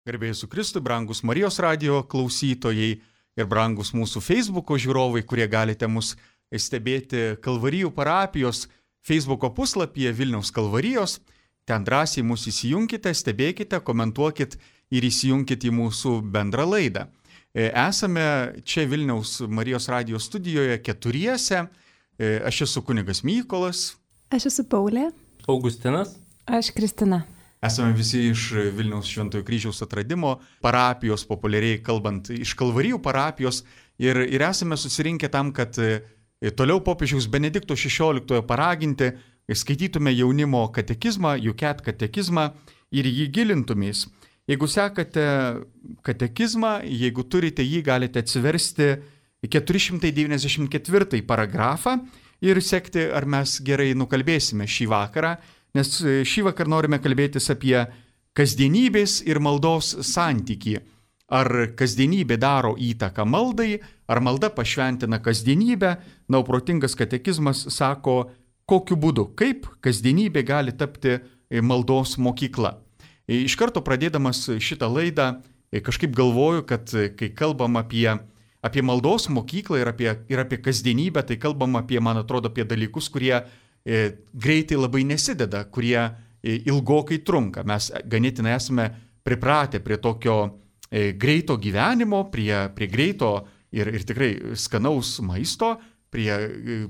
Garbėjai su Kristui, brangus Marijos radijo klausytojai ir brangus mūsų Facebooko žiūrovai, kurie galite mus stebėti Kalvarijų parapijos Facebooko puslapyje Vilniaus Kalvarijos. Ten drąsiai mus įsijunkite, stebėkite, komentuokit ir įsijunkit į mūsų bendrą laidą. Esame čia Vilniaus Marijos radijo studijoje keturiese. Aš esu kunigas Mykolas. Aš esu Paulė. Augustinas. Aš Kristina. Esame visi iš Vilniaus Šventojo Kryžiaus atradimo parapijos, populiariai kalbant, iš Kalvarijų parapijos ir esame susirinkę tam, kad toliau popiežiaus Benedikto XVI paraginti, skaitytume jaunimo katekizmą, Juket katekizmą ir jį gilintumės. Jeigu sekate katekizmą, jeigu turite jį, galite atsiversti 494 paragrafą ir sekti, ar mes gerai nukalbėsime šį vakarą. Nes šį vakar norime kalbėtis apie kasdienybės ir maldos santykį. Ar kasdienybė daro įtaką maldai, ar malda pašventina kasdienybę. Na, protingas katekizmas sako, kokiu būdu, kaip kasdienybė gali tapti maldos mokykla. Iš karto pradėdamas šitą laidą, kažkaip galvoju, kad kai kalbam apie maldos mokyklą ir apie kasdienybę, tai kalbam apie, man atrodo, apie dalykus, kurie greitai labai nesideda, kurie ilgokai trunka. Mes ganėtinai esame pripratę prie tokio greito gyvenimo, prie greito ir tikrai skanaus maisto, prie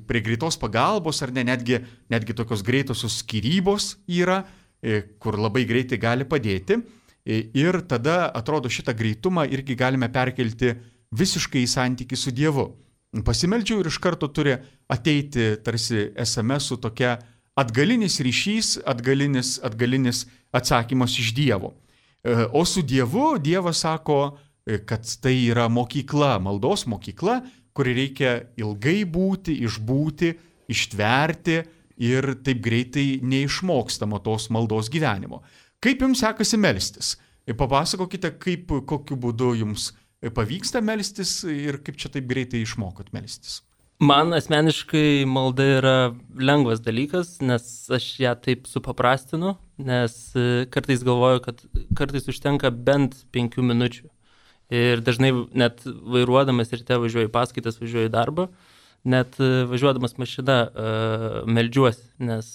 greitos pagalbos, ar ne, netgi tokios greitosios skyrybos yra, kur labai greitai gali padėti. Ir tada, atrodo, šitą greitumą irgi galime perkelti visiškai į santykį su Dievu. Pasimeldžiau ir iš karto turi ateiti tarsi SMS su tokia atgalinis ryšys, atgalinis atsakymas iš Dievo. O su Dievu Dievas sako, kad tai yra mokykla, maldos mokykla, kuri reikia ilgai būti, išbūti, ištverti ir taip greitai neišmokstama tos maldos gyvenimo. Kaip jums sekasi melstis? Papasakokite, kokiu būdu jums pavyksta melstis ir kaip čia taip greitai išmokot melstis? Man asmeniškai malda yra lengvas dalykas, nes aš ją taip supaprastinu, nes kartais galvoju, kad kartais užtenka bent 5 minučių. Ir dažnai net vairuodamas ryte važiuoju į paskaitas, važiuoju į darbą, net važiuodamas mašina meldžiuosi, nes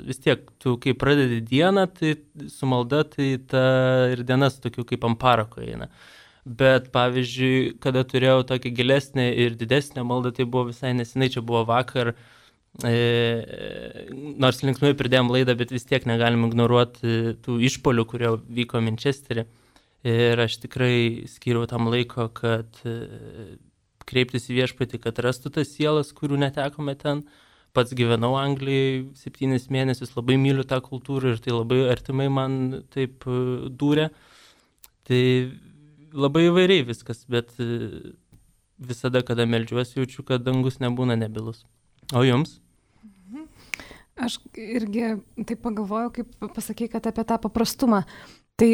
vis tiek tu kai pradedi dieną, tai su malda tai ta ir diena su tokiu kaip ant parako eina. Bet, pavyzdžiui, kada turėjau tokią gilesnę ir didesnę maldą, tai buvo visai nesenai, čia buvo vakar, nors linksmai pridėjom laidą, bet vis tiek negalim ignoruoti tų išpolių, kurie vyko Manchesterį. Ir aš tikrai skyriau tam laiko, kad kreiptis į viešpatį, kad rastų tas sielas, kurių netekome ten. Pats gyvenau Anglijai 7 mėnesius, labai myliu tą kultūrą ir tai labai artimai man taip dūrė. Tai labai įvairiai viskas, bet visada, kada meldžiuosi, jaučiu, kad dangus nebūna nebilus. O jums? Aš irgi taip pagalvojau, kaip pasakei, kad apie tą paprastumą. Tai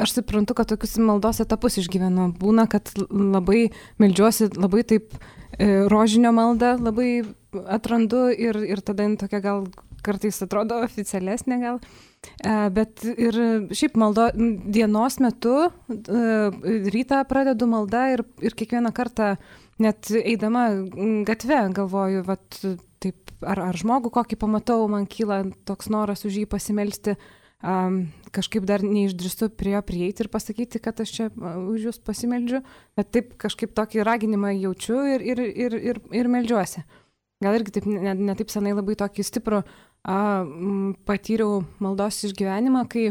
aš suprantu, kad tokius maldos etapus išgyvenu. Būna, kad labai meldžiuosi, labai taip rožinio maldą labai atrandu ir tada tokia gal kartais atrodo oficialesnė gal. Bet ir šiaip dienos metu rytą pradedu maldą ir kiekvieną kartą net eidama gatve galvoju, vat, taip, ar žmogų kokį pamatau, man kyla toks noras už jį pasimelsti, kažkaip dar neišdrįstu prie jo prieiti ir pasakyti, kad aš čia už jūs pasimeldžiu, bet taip kažkaip tokį raginimą jaučiu ir meldžiuosi. Gal irgi taip, ne taip senai labai tokį stiprų patyriau maldos išgyvenimą, kai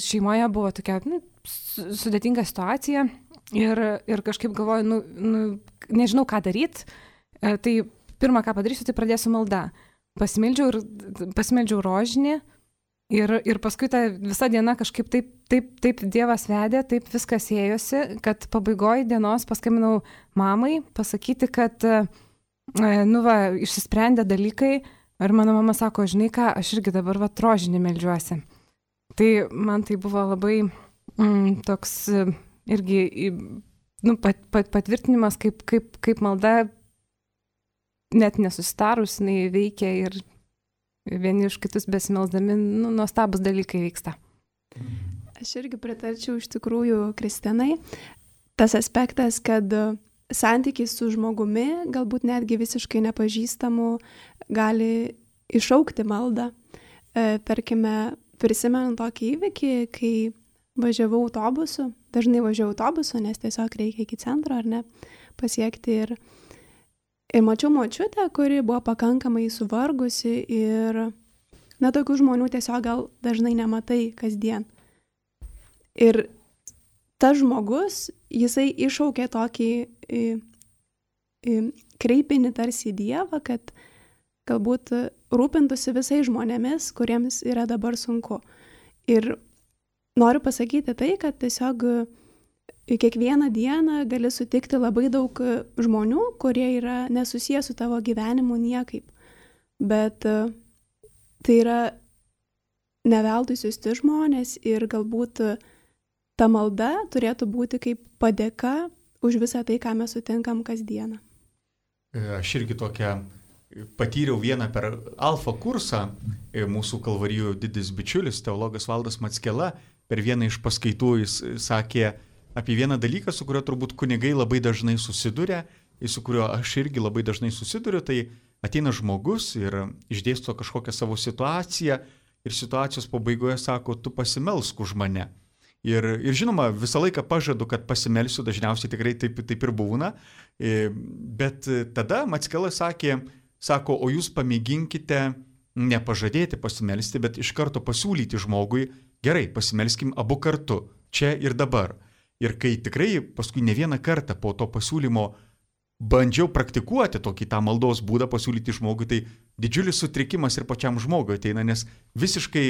šeimoje buvo tokia sudėtinga situacija ir kažkaip galvoju, nežinau ką daryti, tai pirmą ką padarysiu, tai pradėsiu maldą. Pasimeldžiau rožinį ir paskui ta visa diena kažkaip taip Dievas vedė, taip viskas ėjosi, kad pabaigoj dienos paskambinau mamai pasakyti, kad išsisprendė dalykai. Ir mano mama sako, žinai ką, aš irgi dabar rožinį meldžiuosi. Tai man tai buvo labai toks irgi patvirtinimas, kaip malda net nesusitarus, jinai veikia ir vieni iš kitus besimelsdami, nuostabus dalykai vyksta. Aš irgi pritarčiau iš tikrųjų Kristinai. Tas aspektas, kad santykiai su žmogumi, galbūt netgi visiškai nepažįstamu, gali iššaukti maldą. Tarkime, prisimenu tokį įvykį, kai važiavau autobusu, dažnai važiavau autobusu, nes tiesiog reikia iki centro, ar ne, pasiekti. Ir mačiau močiutę, kuri buvo pakankamai suvargusi ir, tokių žmonių tiesiog gal dažnai nematai kasdien. Ir tas žmogus, jisai iššaukė tokį kreipinį tarsi į Dievą, kad galbūt rūpintųsi visais žmonėmis, kuriems yra dabar sunku. Ir noriu pasakyti tai, kad tiesiog kiekvieną dieną gali sutikti labai daug žmonių, kurie yra nesusiję su tavo gyvenimu niekaip. Bet tai yra neveltui siųsti žmonės ir galbūt ta malda turėtų būti kaip padėka už visą tai, ką mes sutinkam kasdieną. Aš irgi tokią patyriau vieną per alfa kursą, mūsų Kalvarijų didis bičiulis, teologas Valdas Mackela, per vieną iš paskaitų jis sakė apie vieną dalyką, su kuriuo turbūt kunigai labai dažnai susiduria, ir su kuriuo aš irgi labai dažnai susiduriu, tai ateina žmogus ir išdėsto kažkokią savo situaciją ir situacijos pabaigoje sako, tu pasimelsk už mane. Ir žinoma, visą laiką pažadu, kad pasimelsiu, dažniausiai tikrai taip ir būna, bet tada Mackela sako, o jūs pamėginkite nepažadėti pasimelsti, bet iš karto pasiūlyti žmogui, gerai, pasimelskim abu kartu, čia ir dabar. Ir kai tikrai paskui ne vieną kartą po to pasiūlymo bandžiau praktikuoti tokį tą maldos būdą pasiūlyti žmogui, tai didžiulis sutrikimas ir pačiam žmogui ateina, nes visiškai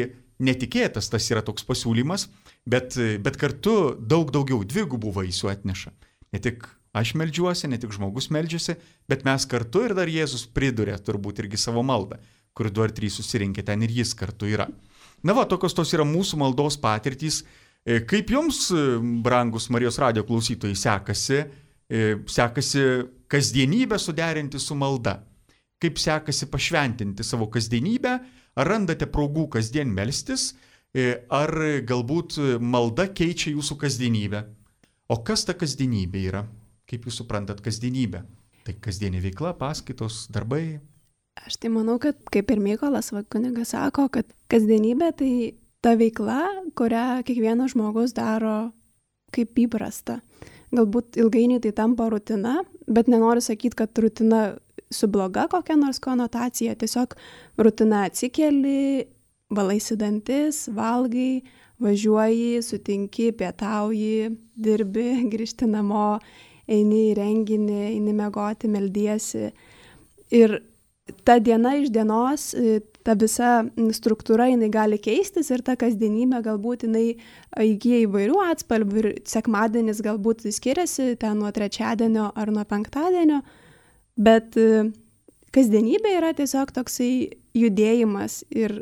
netikėtas tas yra toks pasiūlymas, bet kartu daugiau dvigubų vaisių atneša. Ne tik aš meldžiuosi, ne tik žmogus meldžiasi, bet mes kartu ir dar Jėzus priduria turbūt irgi savo maldą, kur 2 ar 3 susirinkę, ten ir jis kartu yra. Tokios tos yra mūsų maldos patirtys. Kaip jums, brangus Marijos radijo klausytojai, sekasi kasdienybę suderinti su malda? Kaip sekasi pašventinti savo kasdienybę? Ar randate progų kasdien melstis? Ar galbūt malda keičia jūsų kasdienybę? O kas ta kasdienybė yra? Kaip jūs suprantat kasdienybę? Tai kasdienė veikla, paskaitos, darbai? Aš tai manau, kad kaip ir Mykolas kunigas sako, kad kasdienybė tai ta veikla, kurią kiekvienas žmogus daro kaip įprasta. Galbūt ilgainiui tai tampa rutina, bet nenoriu sakyti, kad rutina su bloga kokia nors konotacija. Tiesiog rutina atsikeli, valaisi dantis, valgai, važiuoji, sutinki, pietauji, dirbi, grįžti namo, eini į renginį, eini miegoti, meldiesi. Ir ta diena iš dienos, ta visa struktūra, jinai gali keistis ir ta kasdienybė galbūt jinai įgyja įvairių atspalvių ir sekmadienis galbūt skiriasi ten nuo trečiadienio ar nuo penktadienio, bet kasdienybė yra tiesiog toksai judėjimas ir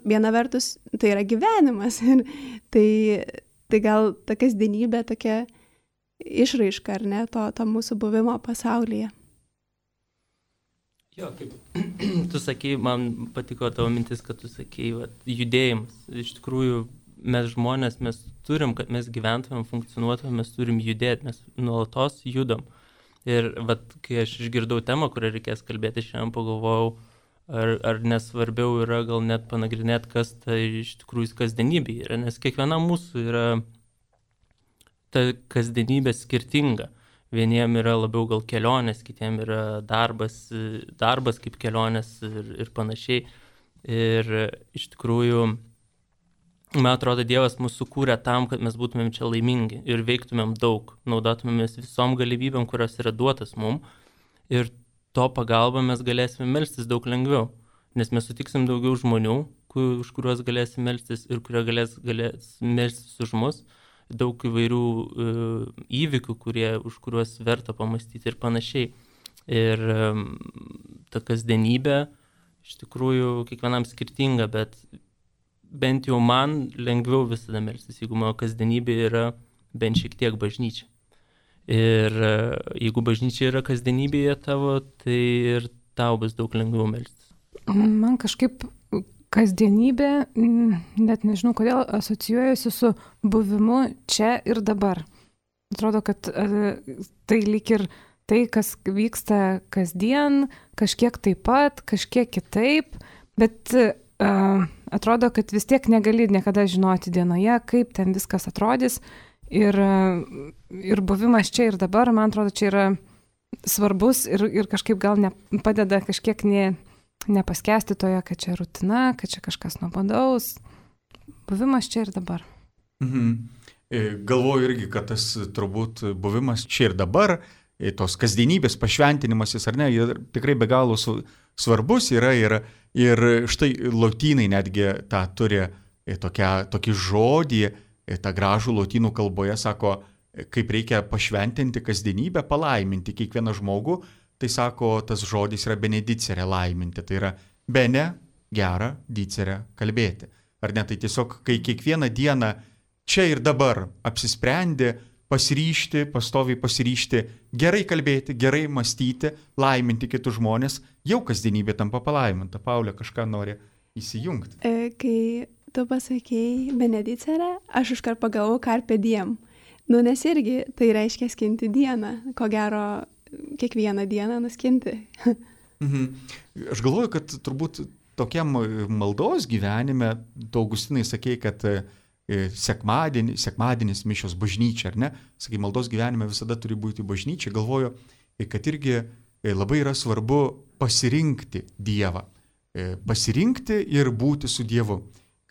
viena vertus tai yra gyvenimas ir tai gal ta kasdienybė tokia išraiška, ar ne, to mūsų buvimo pasaulyje. Jo, kaip tu sakei, man patiko tavo mintis, kad tu sakei, judėjimas. Iš tikrųjų, mes žmonės, mes turim, kad mes gyventumėm, funkcionuotumėm, mes turim judėti, mes nuolatos judam. Ir kai aš išgirdau temą, kurią reikės kalbėti, šiandien pagalvojau, ar nesvarbiau yra gal net panagrinėti, kas tai iš tikrųjų kasdienybė yra, nes kiekviena mūsų yra ta kasdienybė skirtinga. Vieniem yra labiau gal kelionės, kitiem yra darbas kaip kelionės ir panašiai. Ir iš tikrųjų, man atrodo, Dievas mus sukūrė tam, kad mes būtumėm čia laimingi ir veiktumėm daug, naudotumėmės visom galimybėm, kurios yra duotas mum. Ir to pagalba mes galėsime melstis daug lengviau, nes mes sutiksim daugiau žmonių, už kuriuos galėsim melstis ir kurie galės melstis už mus. Daug įvairių įvykių, už kuriuos verta pamastyti ir panašiai. Ir ta kasdienybė iš tikrųjų kiekvienam skirtinga, bet bent jau man lengviau visada melstis, jeigu mano kasdienybė yra bent šiek tiek bažnyčia. Ir jeigu bažnyčia yra kasdienybėje tavo, tai ir tau bus daug lengviau melstis. Man kažkaip kasdienybė, net nežinau kodėl, asocijuojasi su buvimu čia ir dabar. Atrodo, kad tai lyg ir tai, kas vyksta kasdien, kažkiek taip pat, kažkiek kitaip, bet atrodo, kad vis tiek negali niekada žinoti dienoje, kaip ten viskas atrodys. Ir buvimas čia ir dabar, man atrodo, čia yra svarbus ir kažkaip gal padeda kažkiek nepaskesti toje, kad čia rutina, kad čia kažkas nuobodaus. Buvimas čia ir dabar. Galvoju irgi, kad tas turbūt buvimas čia ir dabar, tos kasdienybės pašventinimasis, ar ne, tikrai be galo svarbus yra ir štai lotynai netgi tą turi tokį žodį, tą gražų lotynų kalboje sako, kaip reikia pašventinti kasdienybę, palaiminti kiekvieną žmogų, tai sako, tas žodis yra benedicere, laiminti, tai yra bene, gera, dicere, kalbėti. Ar ne, tai tiesiog, kai kiekvieną dieną čia ir dabar apsisprendi, pasiryžti, pastoviai pasiryžti, gerai kalbėti, gerai mąstyti, laiminti kitus žmonės, jau kasdienybė tampa palaiminta. Paulė kažką nori įsijungti. Kai tu pasakėjai benedicere, aš iškart pagalvojau carpe diem. Nes irgi tai reiškia skinti dieną, ko gero kiekvieną dieną nuskinti. Aš galvoju, kad turbūt tokiam maldos gyvenime, tu Augustinai sakei, kad sekmadienis mišios bažnyčia, ar ne? Sakai, maldos gyvenime visada turi būti bažnyčia. Galvoju, kad irgi labai yra svarbu pasirinkti Dievą. Pasirinkti ir būti su Dievu.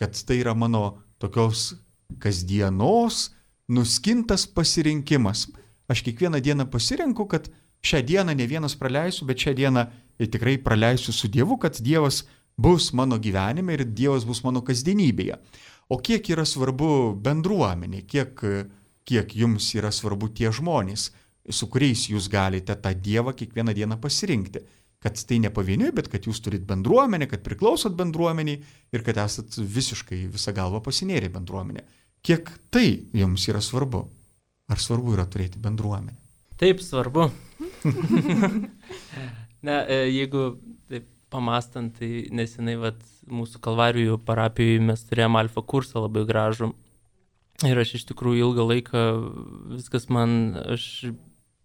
Kad tai yra mano tokios kasdienos nuskintas pasirinkimas. Aš kiekvieną dieną pasirenku, kad šią dieną ne vienas praleisiu, bet šią dieną tikrai praleisiu su Dievu, kad Dievas bus mano gyvenime ir Dievas bus mano kasdienybėje. O kiek yra svarbu bendruomenė, kiek jums yra svarbu tie žmonės, su kuriais jūs galite tą Dievą kiekvieną dieną pasirinkti. Kad tai ne pavieniui, bet kad jūs turit bendruomenę, kad priklausot bendruomeniai ir kad esat visiškai visą galvą pasinėrę bendruomenę. Kiek tai jums yra svarbu? Ar svarbu yra turėti bendruomenę? Taip, svarbu. Jeigu taip pamastant, tai nesenai mūsų Kalvarijų parapijoje mes turėjome alfa kursą labai gražų. Ir aš iš tikrųjų ilgą laiką viskas aš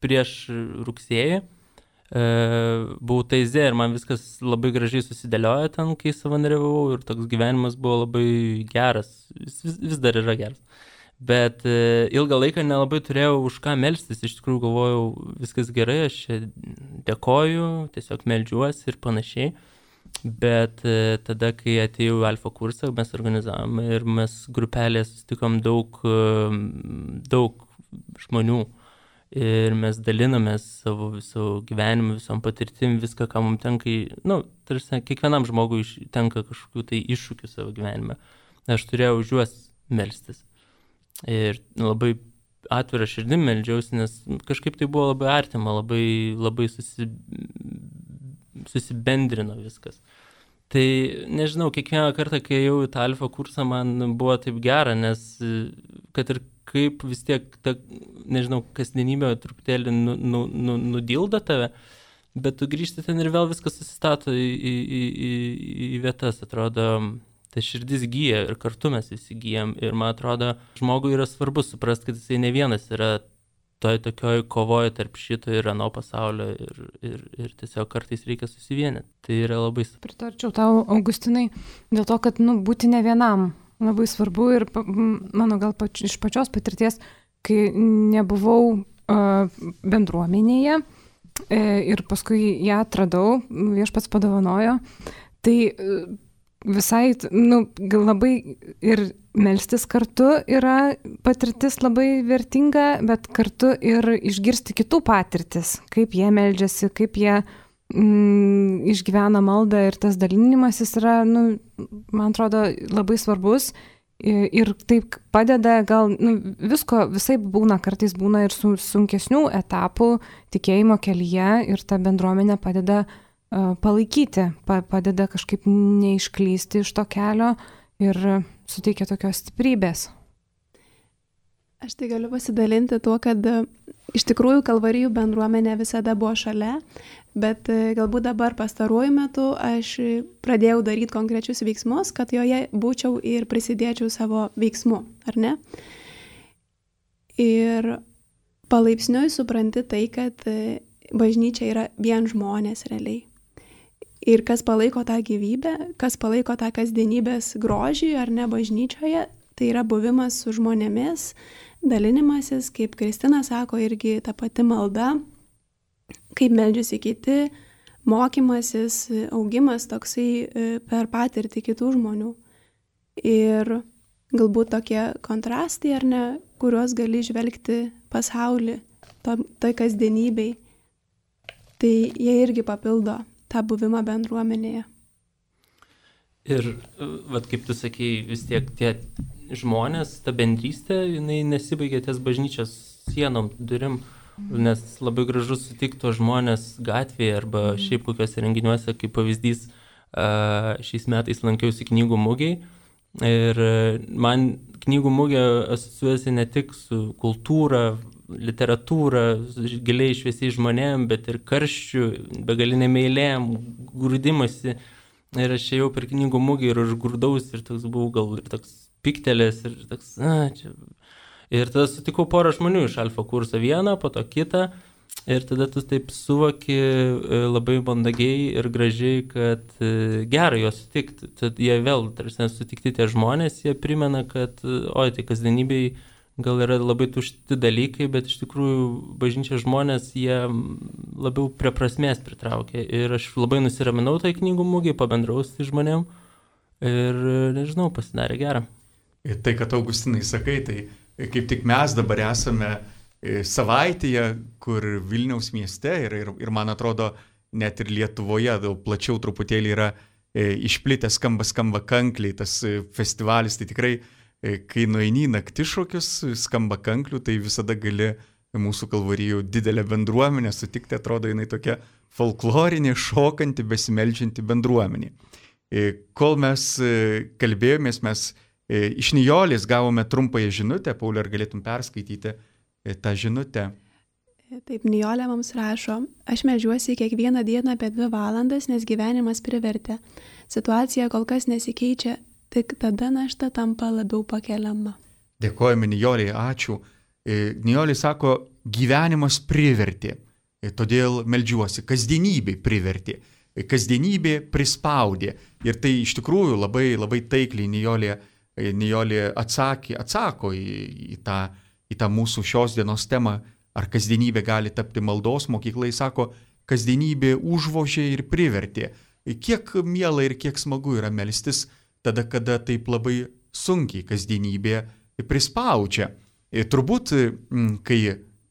prieš rugsėjį buvau Taize ir man viskas labai gražiai susidėliojo ten, kai savanoriavau ir toks gyvenimas buvo labai geras, vis dar yra geras. Bet ilgą laiką nelabai turėjau už ką melstis, iš tikrųjų galvojau, viskas gerai, aš čia dėkoju, tiesiog meldžiuosi ir panašiai. Bet tada, kai atėjau į alfa kursą, mes organizavome ir mes grupelėje susitikom daug žmonių. Ir mes dalinamės savo viso gyvenimu, visom patirtim, viską, ką mums tenka, tarsi kiekvienam žmogui tenka kažkokių tai iššūkių savo gyvenime. Aš turėjau už juos melstis. Ir labai atvirą širdim meldžiausi, nes kažkaip tai buvo labai artima, labai susibendrino viskas. Tai nežinau, kiekvieną kartą, kai ėjau į tą alfa kursą, man buvo taip gera, nes kad ir kaip vis tiek ta, nežinau, kasdienybė truputėlį nudildo tave, bet tu grįžti ten ir vėl viskas susistato į vietas, atrodo, ta širdis gyja ir kartu mes visi gyjam ir man atrodo, žmogui yra svarbu suprasti, kad jisai ne vienas yra toj tokioj kovoje tarp šito ir ano pasaulio ir tiesiog kartais reikia susivienyti. Tai yra labai svarbu. Pritarčiau tau, Augustinai, dėl to, kad būti ne vienam labai svarbu ir mano gal iš pačios patirties, kai nebuvau bendruomenėje ir paskui ją atradau, viešpats padovanojo, tai visai, labai ir melstis kartu yra patirtis labai vertinga, bet kartu ir išgirsti kitų patirtis, kaip jie meldžiasi, kaip jie išgyvena maldą ir tas dalinimasis yra, man atrodo, labai svarbus ir taip padeda, gal visko visai būna, kartais būna ir sunkesnių etapų tikėjimo kelyje ir ta bendruomenė padeda palaikyti, padeda kažkaip neišklysti iš to kelio ir suteikia tokios stiprybės. Aš tai galiu pasidalinti tuo, kad iš tikrųjų Kalvarijų bendruomenė visada buvo šalia, bet galbūt dabar pastaruoju metu aš pradėjau daryti konkrečius veiksmus, kad joje būčiau ir prisidėčiau savo veiksmu, ar ne? Ir palaipsniui supranti tai, kad bažnyčia yra vien žmonės realiai. Ir kas palaiko tą gyvybę, kas palaiko tą kasdienybės grožį ar ne bažnyčioje, tai yra buvimas su žmonėmis, dalinimasis, kaip Kristina sako, irgi ta pati malda, kaip meldžiasi kiti, mokymasis, augimas toksai per patirtį kitų žmonių. Ir galbūt tokie kontrastai, ar ne, kuriuos gali žvelgti pasaulį, tai kasdienybei, tai jie irgi papildo tą buvimą bendruomenėje. Ir, kaip tu sakei, vis tiek tie žmonės, ta bendrystė, jinai nesibaigia ties bažnyčios sienom, durim, nes labai gražu sutikti tos žmonės gatvėje arba šiaip kokiuose renginiuose, kaip pavyzdys, šiais metais lankiausi knygų mugėj ir man knygų mugė asociuojasi ne tik su kultūra, literatūra, giliai šviesiai žmonėm, bet ir karščių, begalinėm eilėm, grūdimasi. Ir aš ėjau per knygų mugį ir aš grūdausi ir toks buvau gal ir toks piktelės ir toks, čia. Ir tada sutikau porą žmonių iš alfa kurso, vieną, po to kitą. Ir tada tu taip suvoki labai mandagiai ir gražiai, kad gerai juos sutikti. Tad jie vėl, tarsi sutikti tie žmonės, jie primena, kad tai kasdienybėj gal yra labai tušti dalykai, bet iš tikrųjų bažnyčios žmonės jie labiau prie prasmės pritraukia. Ir aš labai nusiraminau tai knygų mugėj, pabendraus tai žmonėm ir, nežinau, pasidarė gerą. Ir tai, kad Augustinai sakai, tai kaip tik mes dabar esame savaitėje, kur Vilniaus mieste ir man atrodo, net ir Lietuvoje daug plačiau truputėlį yra išplitęs skamba kankliai, tas festivalis, tai tikrai kai nueini naktišokius, skamba kanklių, tai visada gali mūsų Kalvarijų didelę bendruomenę sutikti, atrodo, jinai tokia folklorinė, šokanti, besimeldžianti bendruomenė. Kol mes kalbėjomės, mes iš Nijolės gavome trumpąją žinutę, Pauliau, ar galėtum perskaityti tą žinutę? Taip, Nijolė mums rašo, aš meldžiuosi kiekvieną dieną apie 2 valandas, nes gyvenimas privertė. Situacija kol kas nesikeičia, tik tada našta tampa labiau pakeliama. Dėkojame Nijolė, ačiū. Nijolė sako, gyvenimas privertė, todėl meldžiuosi, kasdienybė privertė, kasdienybė prispaudė. Ir tai iš tikrųjų labai, labai taikliai Nijolė atsako į tą mūsų šios dienos temą, ar kasdienybė gali tapti maldos mokykla. Jis sako, kasdienybė užvožė ir privertė. Kiek miela ir kiek smagu yra melstis tada, kada taip labai sunkiai kasdienybė prispaudžia. Turbūt, kai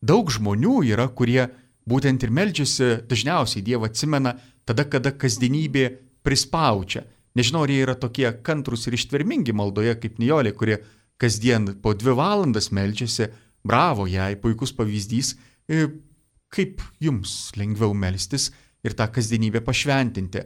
daug žmonių yra, kurie būtent ir meldžiasi, dažniausiai Dievą atsimena tada, kada kasdienybė prispaudžia. Nežinau, ar jie yra tokie kantrus ir ištvermingi maldoje kaip Nijolė, kurie kasdien po 2 valandas meldžiasi. Bravo jai, puikus pavyzdys, kaip jums lengviau melstis ir tą kasdienybę pašventinti.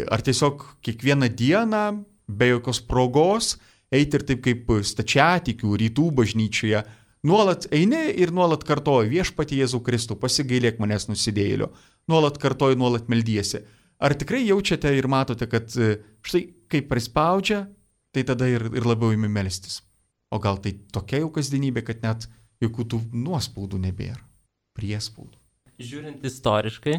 Ar tiesiog kiekvieną dieną, be jokios progos, eiti ir taip kaip stačiatikių rytų bažnyčioje, nuolat eini ir nuolat kartoji, viešpatie Jėzau Kristų, pasigailėk manęs nusidėjėlio, nuolat kartoji, nuolat meldiesi. Ar tikrai jaučiate ir matote, kad štai kaip prispaudžia, tai tada ir labiau imi melstis? O gal tai tokia jau kasdienybė, kad net jokių tų nuospaudų nebėra, priespaudų? Žiūrint istoriškai,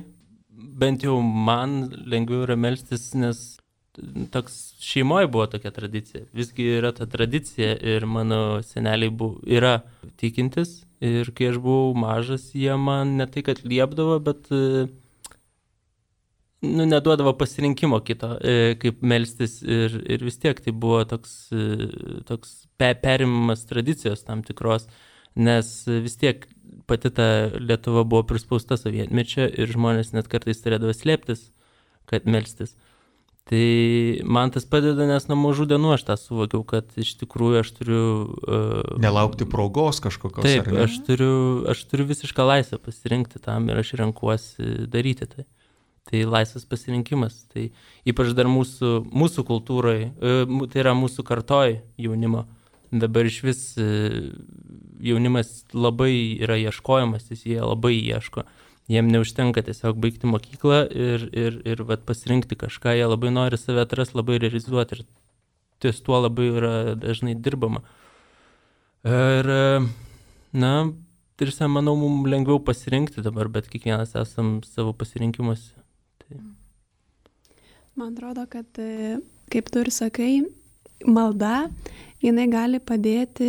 bent jau man lengviau yra melstis, nes toks šeimoje buvo tokia tradicija. Visgi yra ta tradicija ir mano seneliai yra tikintis ir kai aš buvau mažas, jie man ne tai, kad liepdavo, bet neduodavo pasirinkimo kito, kaip melstis ir vis tiek tai buvo toks perimimas tradicijos tam tikros, nes vis tiek pati ta Lietuva buvo prispausta sovietmečio ir žmonės net kartais turėdavo slėptis, kad melstis. Tai man tas padeda, nes nuo mažų dienų aš tą suvokiau, kad iš tikrųjų aš turiu... Nelaukti progos kažkokios. Taip, aš turiu visišką laisvę pasirinkti tam ir aš renkuosi daryti tai. Tai laisvas pasirinkimas. Tai ypač dar mūsų kultūrai, tai yra mūsų kartoj jaunimo. Dabar iš vis jaunimas labai yra ieškojamas, jie labai ieško. Jiem neužtenka tiesiog baigti mokyklą ir vat, pasirinkti kažką, jie labai nori save atrasti, labai realizuoti ir ties tuo labai yra dažnai dirbama. Ir, tarsi, manau, mums lengviau pasirinkti dabar, bet kiekvienas esam savo pasirinkimuose. Tai. Man atrodo, kad, kaip tu ir sakai, malda, jinai gali padėti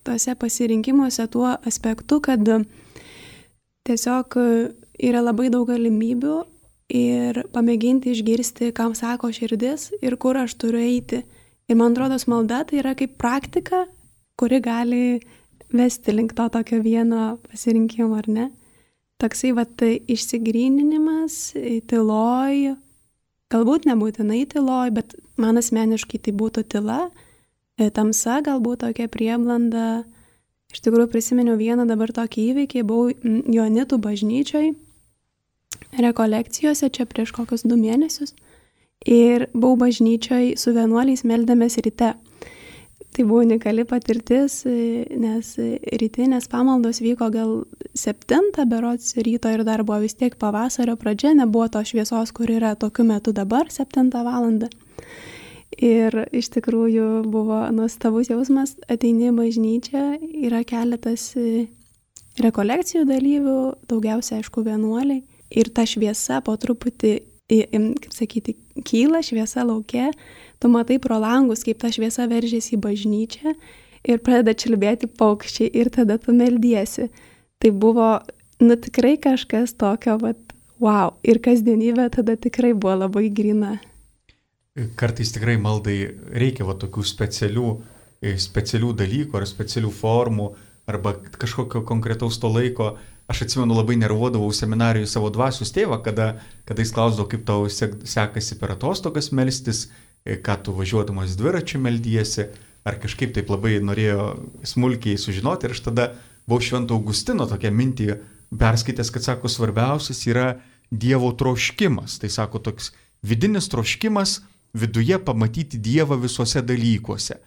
tose pasirinkimuose tuo aspektu, kad tiesiog yra labai daug galimybių ir pamėginti išgirsti, kam sako širdis ir kur aš turiu eiti. Ir man atrodo, malda tai yra kaip praktika, kuri gali vesti link to tokio vieno pasirinkimo, ar ne? Toksai išsigryninimas, tyloj, galbūt nebūtinai tyloj, bet man asmeniškai tai būtų tyla, tamsa galbūt tokia prieblanda. Iš tikrųjų prisiminiau vieną dabar tokį įvykį, buvau Joanitų bažnyčioj, rekolekcijose čia prieš kokius 2 mėnesius ir buvau bažnyčioj su vienuoliais meldėmės ryte. Tai buvo unikali patirtis, nes rytinės pamaldos vyko gal 7 berods ryto ir dar buvo vis tiek pavasario pradžia, nebuvo to šviesos, kur yra tokiu metu dabar 7 valandą. Ir iš tikrųjų buvo nuostabus jausmas, ateini į bažnyčią, yra keletas rekolekcijų dalyvių, daugiausia, aišku, vienuoliai. Ir ta šviesa po truputį, kaip sakyti, kyla šviesa lauke, tu matai pro langus, kaip ta šviesa veržėsi į bažnyčią ir pradeda čiulbėti paukščiai ir tada tu meldiesi. Tai buvo, tikrai kažkas tokio, wow, ir kasdienybė tada tikrai buvo labai gryna. Kartais tikrai maldai reikia tokių specialių dalykų ar specialių formų arba kažkokio konkretaus to laiko. Aš atsimenu, labai nervuodavau seminarijų savo dvasios tėvą, kada jis klausdavo, kaip tau sekasi per atostogas melstis, ką tu važiuodamas dviračiu meldiesi, ar kažkaip taip labai norėjo smulkiai sužinoti. Ir aš tada buvau Švento Augustino tokią mintį perskaitęs, kad sako, svarbiausias yra Dievo troškimas. Tai sako, toks vidinis troškimas viduje pamatyti Dievą visuose dalykuose.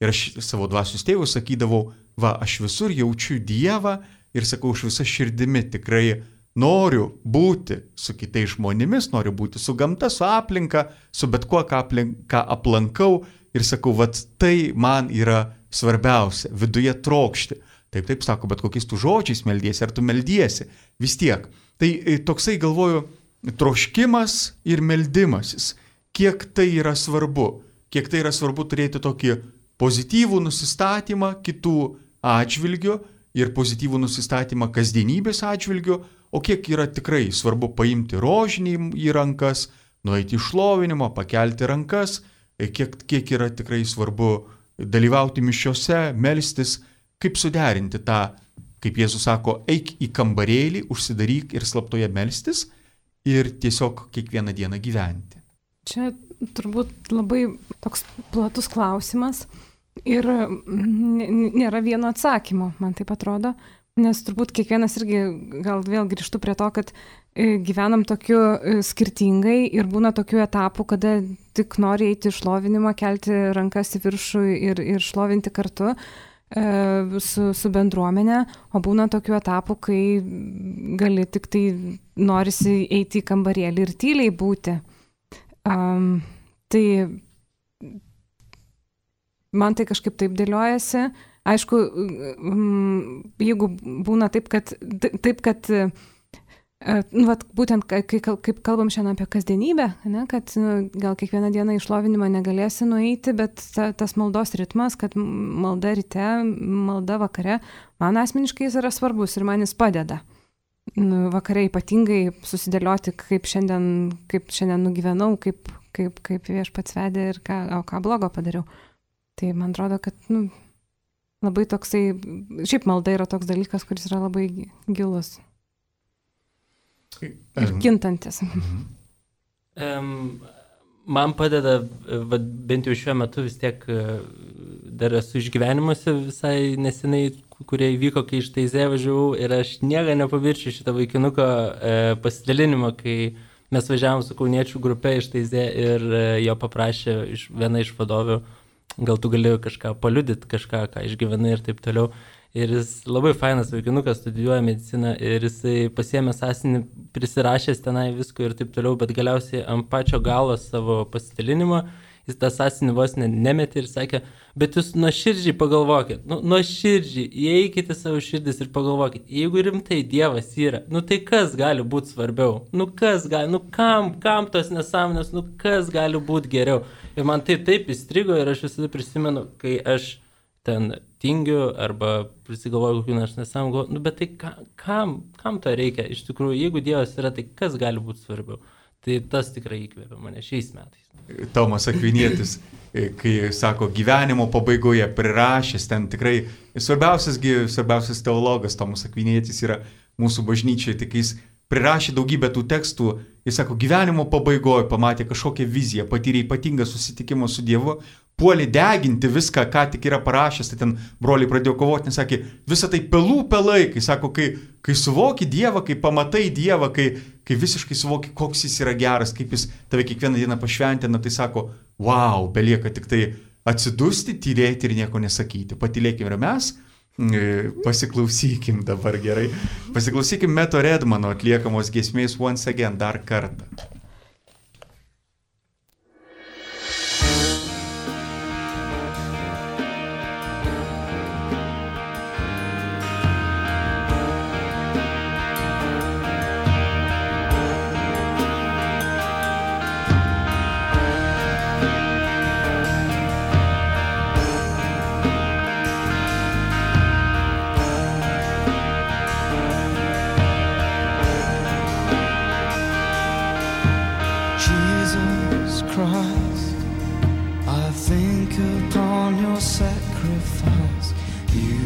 Ir aš savo dvasios tėvui sakydavau, aš visur jaučiu Dievą ir sakau, aš visą širdimi tikrai noriu būti su kitais žmonėmis, noriu būti su gamta, su aplinka, su bet kuo, ką aplankau ir sakau, tai man yra svarbiausia, viduje trokšti. Taip, sako, bet kokiais tu žodžiais meldiesi, ar tu meldiesi, vis tiek. Tai toksai, galvoju, troškimas ir meldimasis. Kiek tai yra svarbu turėti tokį pozityvų nusistatymą kitų atžvilgių ir pozityvų nusistatymą kasdienybės atžvilgių, o kiek yra tikrai svarbu paimti rožinį į rankas, nueiti į šlovinimą, pakelti rankas, kiek yra tikrai svarbu dalyvauti mišiose, melstis, kaip suderinti tą, kaip Jėzus sako, eik į kambarėlį, užsidaryk ir slaptoje melstis ir tiesiog kiekvieną dieną gyventi. Čia turbūt labai toks platus klausimas ir nėra vieno atsakymo, man taip atrodo, nes turbūt kiekvienas irgi gal vėl grįžtų prie to, kad gyvenam tokiu skirtingai ir būna tokių etapų, kada tik nori eiti į šlovinimą, kelti rankas į viršų ir šlovinti kartu su bendruomenė, o būna tokių etapų, kai gali tik tai norisi eiti į kambarėlį ir tyliai būti. Tai man tai kažkaip taip dėliojasi. Aišku, jeigu būna taip, kad būtent kaip kalbam šiandien apie kasdienybę, ne, kad gal kiekvieną dieną į šlovinimą negalėsi nueiti, bet tas maldos ritmas, kad malda ryte, malda vakare, man asmeniškai jis yra svarbus ir man jis padeda. Vakare ypatingai susidėlioti, kaip šiandien nugyvenau, kaip viešpats vedė ir ką blogo padariau. Tai man atrodo, kad labai toksai, šiaip malda yra toks dalykas, kuris yra labai gilus ir kintantis. Man padeda, bent jau šiuo metu vis tiek dar esu išgyvenimuose visai nesenai, kurie įvyko, kai iš Taizė važiavau ir aš niekada nepamiršiu šitą vaikinuko pasidalinimą, kai mes važiavom su kauniečių grupe iš Taizė ir jo paprašė viena iš vadovių gal tu gali kažką paliudyti, kažką, ką išgyvenai ir taip toliau. Ir jis labai fainas vaikinukas, studijuoja mediciną ir jisai pasiėmė sąsiuvinį, prisirašęs tenai visko ir taip toliau, bet galiausiai ant pačio galo savo pasidalinimo jis tą sąsiuvinį vos nemetė ir sakė, bet jūs nuoširdžiai pagalvokit, nuoširdžiai, įeikite savo širdis ir pagalvokit, jeigu rimtai Dievas yra, tai kas gali būti svarbiau, kas gali, kam tos nesąmonės, kas gali būti geriau. Ir man tai taip įstrigo ir aš visada prisimenu, kai aš ten tingiu arba prisigalvoju kokių nors nesąmonių, bet tai kam to reikia? Iš tikrųjų, jeigu Dievas yra, tai kas gali būti svarbiau? Tai tas tikrai įkvėpė mane šiais metais. Tomas Akvinietis, kai sako gyvenimo pabaigoje prirašęs, ten tikrai svarbiausias teologas Tomas Akvinietis yra mūsų bažnyčiai, tik jis prirašė daugybę tų tekstų, jis sako, gyvenimo pabaigoje pamatė kažkokią viziją, patyrė ypatingą susitikimą su Dievu, puolė deginti viską, ką tik yra parašęs, tai ten broliai pradėjo kovoti, nes sakė, visą tai pelai, kai sako, kai suvoki Dievą, kai pamatai Dievą, kai visiškai suvoki, koks jis yra geras, kaip jis tave kiekvieną dieną pašventina, tai sako, wow, belieka tik tai atsidusti, tylėti ir nieko nesakyti. Patylėkim ir mes. Pasiklausykim dabar gerai. Pasiklausykim Meto Redmano atliekamos giesmės Once Again, dar kartą. Jesus Christ, I think upon your sacrifice. You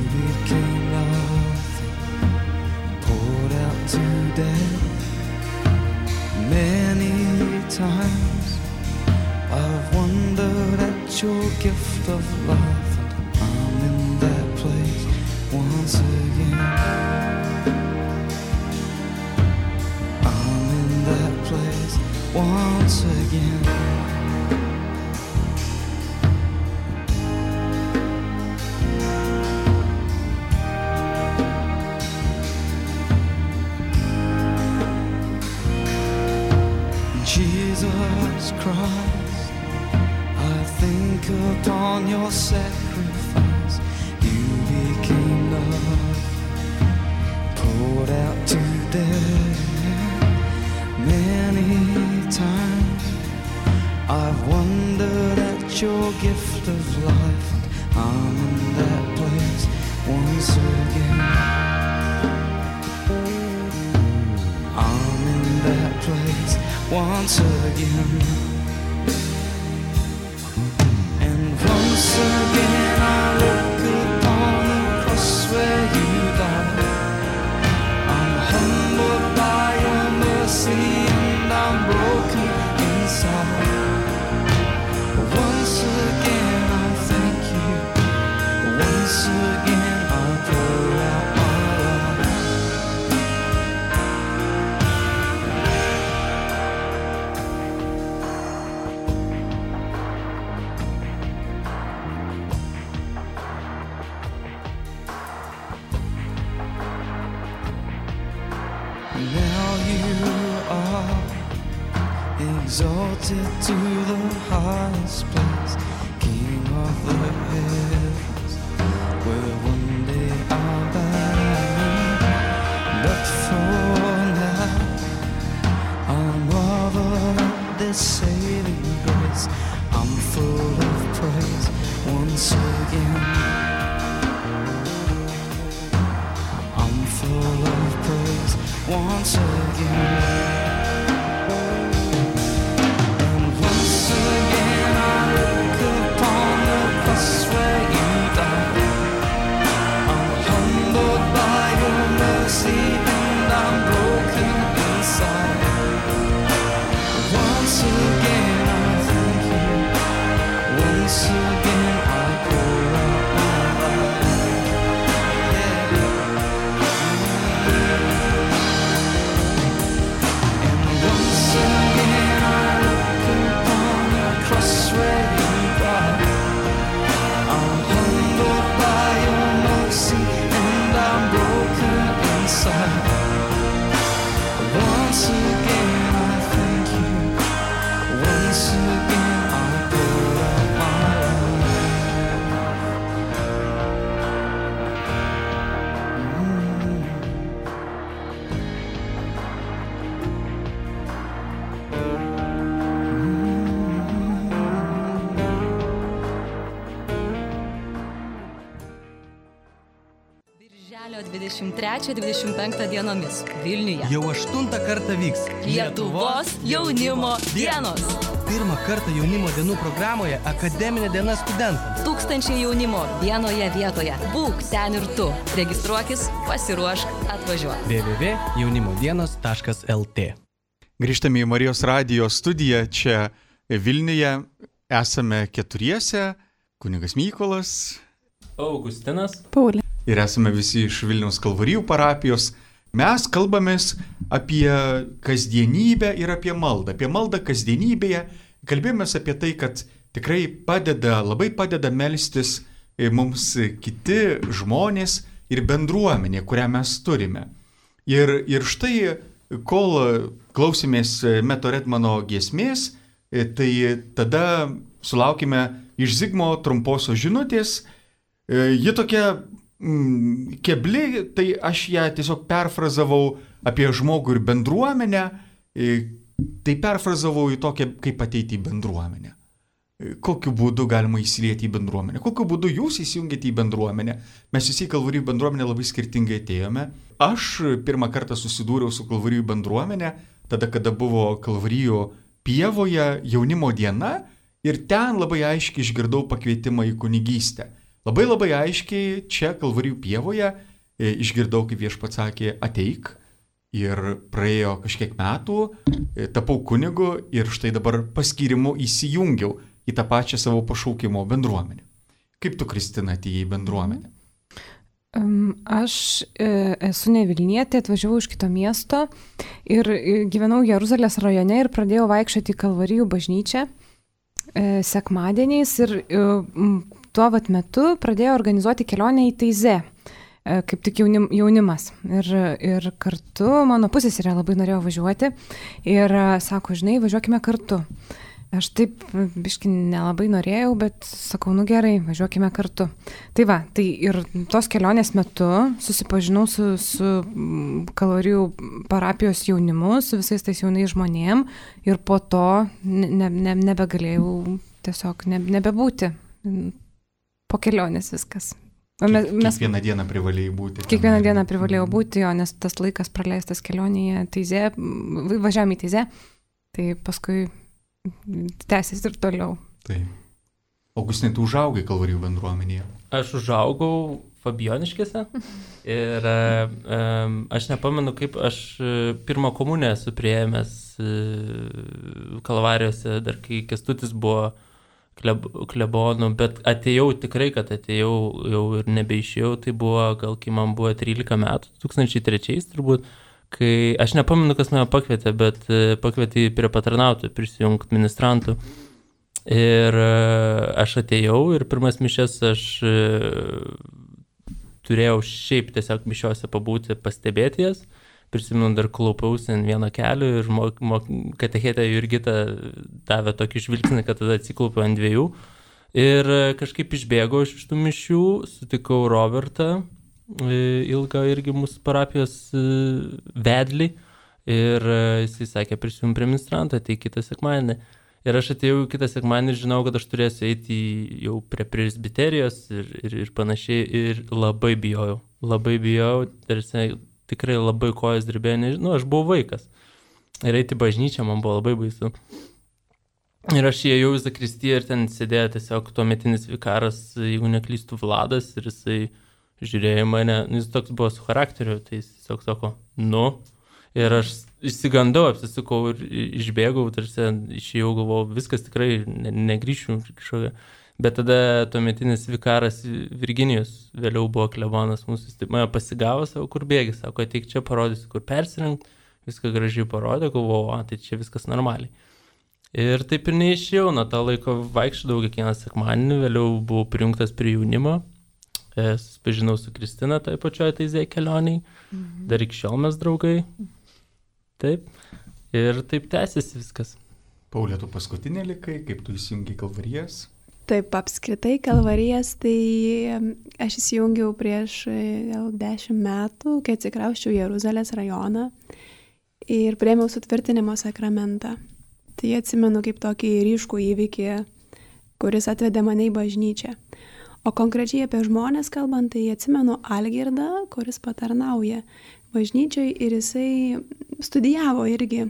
became love, poured out to death. Many times I've wondered at your gift of life. I'm in that place once again. I'm in that place once again. And once again I look upon the cross where you died. I'm humbled by your mercy and I'm broken inside. Once again I thank you. Once again I pour out my life. Now you are exalted to the highest place, King of the heavens, where one day I'll bow. But for now, I'm of this saving grace. I'm full of praise once again. I'm full of praise once again. And once again I look upon the cross where you died. I'm humbled by your mercy and I'm broken inside. Once again I thank you. Once again I pour out my life. Yeah. Spalio 23-25 dienomis Vilniuje. Jau 8 kartą vyks Lietuvos jaunimo dienos. Pirmą kartą jaunimo dienų programoje akademinė diena studentams. 1000 jaunimo vienoje vietoje. Būk ten ir tu. Registruokis, pasiruošk, atvažiuok. www.jaunimodienos.lt. Grįžtame į Marijos radijo studiją čia Vilniuje. Esame keturiese. Kunigas Mykolas. Augustinas. Paulė. Ir esame visi iš Vilniaus Kalvarijų parapijos. Mes kalbamės apie kasdienybę ir apie maldą. Apie maldą kasdienybėje. Kalbėjomės apie tai, kad tikrai labai padeda melstis mums kiti žmonės ir bendruomenė, kurią mes turime. Ir štai, kol klausėmės Meto Redmano giesmės, tai tada sulaukime iš Zigmo trumposios žinutės. Ji tokia kebli, tai aš ją tiesiog perfrazavau apie žmogų ir bendruomenę. Tai perfrazavau į tokią, kaip ateiti į bendruomenę. Kokiu būdu galima įsilieti į bendruomenę? Kokiu būdu jūs įsijungėte į bendruomenę? Mes visi į Kalvarijų bendruomenę labai skirtingai atėjome. Aš pirmą kartą susidūriau su Kalvarijų bendruomenė, tada, kada buvo Kalvarijų pievoje jaunimo diena, ir ten labai aiškiai išgirdau pakvietimą į kunigystę. Labai aiškiai čia Kalvarijų pievoje išgirdau, kaip Viešpats sakė, ateik. Ir praėjo kažkiek metų, tapau kunigu ir štai dabar paskyrimu įsijungiau į tą pačią savo pašaukimo bendruomenę. Kaip tu, Kristina, atėjai į bendruomenę? Aš esu ne Vilnietė, atvažiavau iš kito miesto ir gyvenau Jeruzalės rajone ir pradėjau vaikščioti į Kalvarijų bažnyčią sekmadieniais ir tuo metu pradėjau organizuoti kelionę į Taizė, kaip tik jaunimas. Ir kartu mano pusseserė labai norėjo važiuoti ir sako, žinai, važiuokime kartu. Aš taip biški nelabai norėjau, bet sakau, nu gerai, važiuokime kartu. Tai ir tos kelionės metu susipažinau su Kalvarijų parapijos jaunimu, su visais tais jaunais žmonėm ir po to nebegalėjau tiesiog nebebūti. Po kelionės viskas. Kiekvieną dieną privalėjai būti. Kiekvieną dieną privalėjau būti, nes tas laikas praleistas kelionėje Taizė, važiavome į Taizė, tai paskui tęsis ir toliau. Tai. Augustinai, tu užaugai Kalvarijų bendruomenėje? Aš užaugau Fabioniškėse ir aš nepamenu, kaip aš pirmą komuniją esu priėmęs Kalvarijose, dar kai Kęstutis buvo klebonų, bet atėjau tikrai, kad atėjau jau ir nebeišėjau, tai buvo gal kai man buvo 13 metų, 2003 turbūt, kai aš nepamenu, kas mane pakvietė, bet pakvietė prie patarnautojų prisijungti ministrantų. Ir aš atėjau ir pirmas mišias aš turėjau šiaip tiesiog mišiuose pabūti, pastebėti jas. Prisimenu, dar klaupiausi ant vieną kelių ir katechetė Jurgita davė tokį žvilgsnį, kad tada atsiklaupiau ant dviejų. Ir kažkaip išbėgau iš tų mišių, sutikau Robertą, ilgą irgi mūsų parapijos vedlį. Ir jisai sakė, prisijung prie ministrantą, tai kitą sekmadienį. Ir aš atėjau kitą sekmadienį ir žinau, kad aš turėsiu eiti jau prie presbiterijos ir panašiai. Ir labai bijojau. Tarsi tikrai labai kojas dirbėjo, nežinau, aš buvau vaikas. Ir eiti bažnyčią man buvo labai baisu. Ir aš įėjau į zakristiją ir ten sėdėjo tiesiog tuometinis vikaras, jeigu neklystų, Vladas, ir jisai žiūrėjo mane, jis toks buvo su charakteriu, tai jis tiesiog sako, nu. Ir aš išsigandau, apsisukau ir išbėgau, tarsi išėjau, galvojau, viskas tikrai negrįšiu kažkokia. Bet tada tuometinis vikaras Virginijus, vėliau buvo klebonas mūsų, jis mane pasigavo, savo kur bėgi, sako, ateik čia parodysiu, kur persirengti, viską gražiai parodė, galvojau, tai čia viskas normaliai. Ir taip ir neišėjau, nuo tą laiko vaikščiodavau kiekvieną sekmadienį, vėliau buvau prijungtas prie jaunimo, susipažinau su Kristina toje pačioje Taizė kelioniai, dar iki šiol mes draugai, taip, ir taip tęsiasi viskas. Paulė, tu paskutinė likai, kaip tu įsijungi Kalvarijas? Taip, apskritai Kalvarijas, tai aš įsijungiau prieš 10 metų, kai atsikrausčiau Jeruzalės rajoną ir priėmiau sutvirtinimo sakramentą. Tai atsimenu kaip tokį ryškų įvykį, kuris atvedė mane į bažnyčią. O konkrečiai apie žmonės kalbant, tai atsimenu Algirdą, kuris patarnauja bažnyčioj ir jisai studijavo irgi.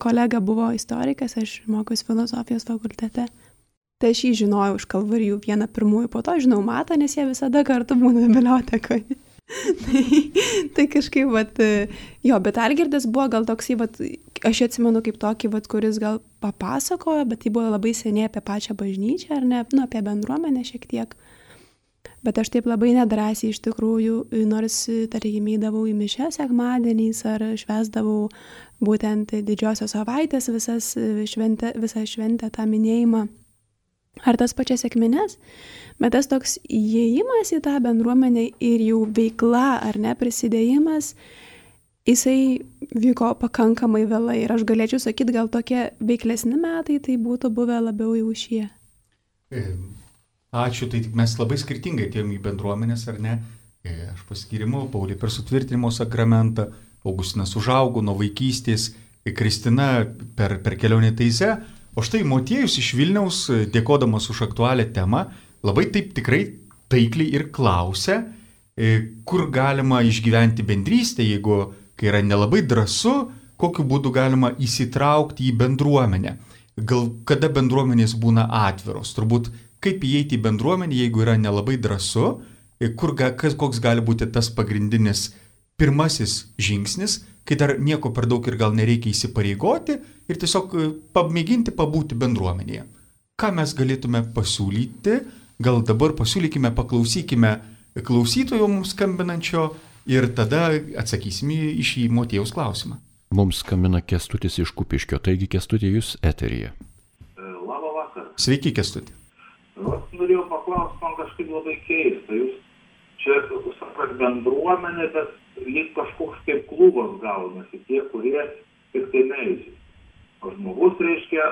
Kolega buvo istorikas, aš mokiausi filosofijos fakultete. Tai aš jį žinojau iš Kalvarijų vieną pirmųjų, po to žinau Matą, nes jie visada kartu būna bibliotekoje. Tai kažkaip, jo, bet Algirdas buvo gal toksai, aš atsimenu kaip tokį, kuris gal papasakojo, bet tai buvo labai seniai apie pačią bažnyčią, ar ne, apie bendruomenę šiek tiek. Bet aš taip labai nedrąsiai iš tikrųjų, nors, tarkim, eidavau į mišias sekmadieniais ar švęsdavau būtent didžiosios savaitės visą šventę tą minėjimą, ar tas pačias sekmines, bet tas toks įėjimas į tą bendruomenę ir jų veikla, ar ne, prisidėjimas, jisai vyko pakankamai vėlai ir aš galėčiau sakyti, gal tokie veiklesni metai tai būtų buvę labiau jau šie. Ačiū, tai mes labai skirtingai atėjom į bendruomenės, ar ne? Aš paskyrimau, Paulį per sutvirtinimo sakramentą, Augustinas užaugo nuo vaikystės, Kristina per kelionę Taize, o štai Motiejus iš Vilniaus, dėkodamas už aktualią temą, labai taip tikrai taikliai ir klausia, kur galima išgyventi bendrystę, jeigu kai yra nelabai drąsu, kokiu būdu galima įsitraukti į bendruomenę. Gal kada bendruomenės būna atviros, turbūt kaip įeiti į bendruomenę, jeigu yra nelabai drąsu, koks gali būti tas pagrindinis pirmasis žingsnis, kai dar nieko per daug ir gal nereikia įsipareigoti ir tiesiog pamėginti pabūti bendruomenėje. Ką mes galėtume pasiūlyti, gal dabar pasiūlykime, paklausykime klausytojo mums skambinančio ir tada atsakysime į šį Motiejaus klausimą. Mums skambina Kęstutis iš Kupiškio, taigi Kęstutė, jūs eteryje. Labą vakarą. Sveiki, Kęstuti. Norėjau paklausti, man kažkaip labai keista. Jūs čia sakot bendruomenė, bet lyg kažkoks kaip klubas gaunasi, tie, kurie tik tai meldžiasi. O žmogus reiškia,